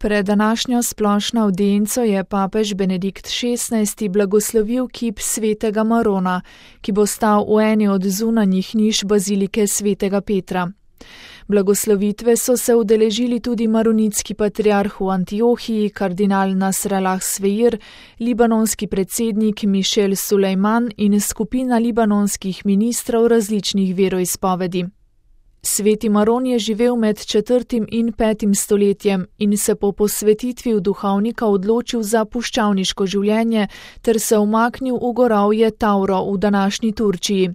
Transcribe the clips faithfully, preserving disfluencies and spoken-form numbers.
Pred današnjo splošno avdienco je papež Benedikt šestnajsti blagoslovil kip svetega Marona, ki bo stal v eni od zunanjih niš bazilike svetega Petra. Blagoslovitve so se udeležili tudi maronitski patriarh v Antiohiji, kardinal Nasrallah Sveir, libanonski predsednik Mišel Sulejman in skupina libanonskih ministrov različnih veroizpovedi. Sveti Maron je živel med četrtim in petim stoletjem in se po posvetitvi v duhovnika odločil za puščavniško življenje ter se umaknil v gorovje Tauro v današnji Turčiji.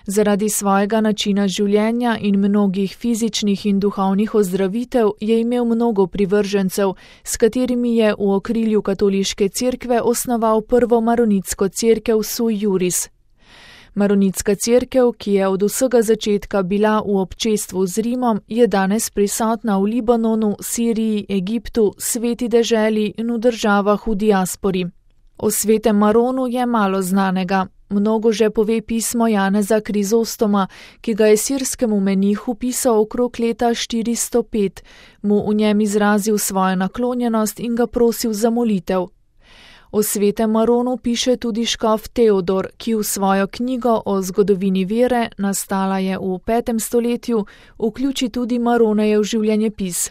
Zaradi svojega načina življenja in mnogih fizičnih in duhovnih ozdravitev je imel mnogo privržencev, s katerimi je v okrilju katoliške cerkve osnoval prvo maronitsko cerkev Sui Juris. Maronitska cerkev, ki je od vsega začetka bila v občestvu z Rimom, je danes prisotna v Libanonu, Siriji, Egiptu, Sveti deželi in v državah v diaspori. O svetem Maronu je malo znanega. Mnogo že pove pismo Janeza Krizostoma, ki ga je sirskemu menihu pisal okrog leta štiristo pet, mu v njem izrazil svojo naklonjenost in ga prosil za molitev. O svetem Maronu piše tudi škof Teodor, ki v svojo knjigo o zgodovini vere, nastala je v petem stoletju, vključi tudi Maronejev življenjepis.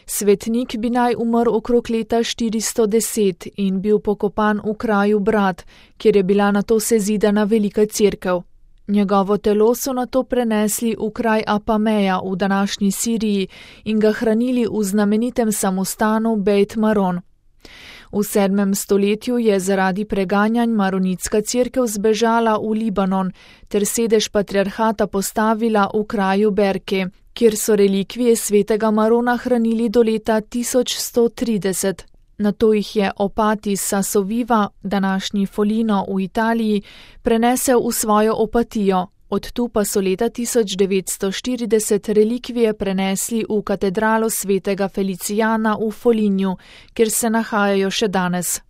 Svetnik bi naj umrl okrog leta štiristo deset in bil pokopan v kraju Brat, kjer je bila nato sezidana velika cerkev. Njegovo telo so nato prenesli v kraj Apameja v današnji Siriji in ga hranili v znamenitem samostanu Bejt Maron. V sedmem stoletju je zaradi preganjanj maronitska cerkev zbežala v Libanon ter sedež patriarhata postavila v kraju Berke, kjer so relikvije svetega Marona hranili do leta tisoč sto trideset. Nato jih je opati Sasoviva, današnji Folino v Italiji, prenesel v svojo opatijo. Od tu pa so leta tisoč devetsto štirideset relikvije prenesli v katedralo svetega Felicijana v Folignu, kjer se nahajajo še danes.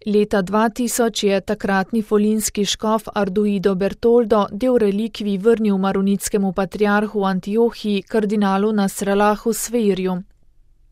Leta dva tisoč je takratni folinski škof Arduido Bertoldo del relikvij vrnil maronitskemu patriarhu v Antiohiji, kardinalu Nasrallahu Sveirju.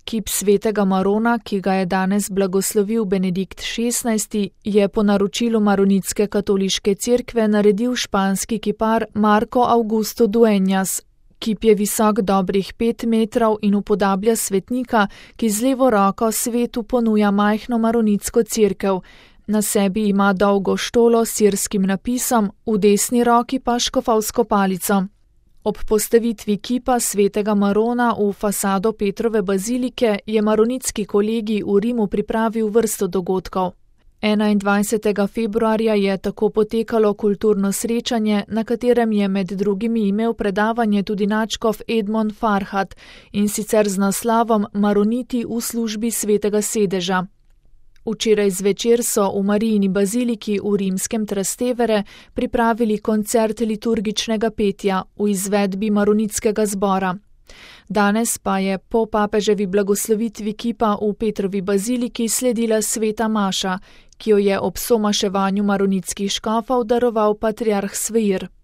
Kip svetega Marona, ki ga je danes blagoslovil Benedikt šestnajsti, je po naročilu maronitske katoliške cerkve naredil španski kipar Marko Augusto Dueñas. Kip je visok dobrih pet metrov in upodablja svetnika, ki z levo roko svetu ponuja majhno maronitsko cerkev. Na sebi ima dolgo štolo s sirskim napisom, v desni roki pa škofovsko palico. Ob postavitvi kipa svetega Marona v fasado Petrove bazilike je maronitski kolegij v Rimu pripravil vrsto dogodkov. enaindvajsetega februarja je tako potekalo kulturno srečanje, na katerem je med drugimi imel predavanje tudi nadškof Edmond Farhat, in sicer z naslovom Maroniti v službi svetega sedeža. Včeraj zvečer so v Marijini baziliki v rimskem Trastevere pripravili koncert liturgičnega petja v izvedbi maronitskega zbora. Danes pa je po papeževi blagoslovitvi kipa v Petrovi baziliki sledila sveta maša, ki jo je ob somaševanju maronitskih škofov daroval patriarh Sveir.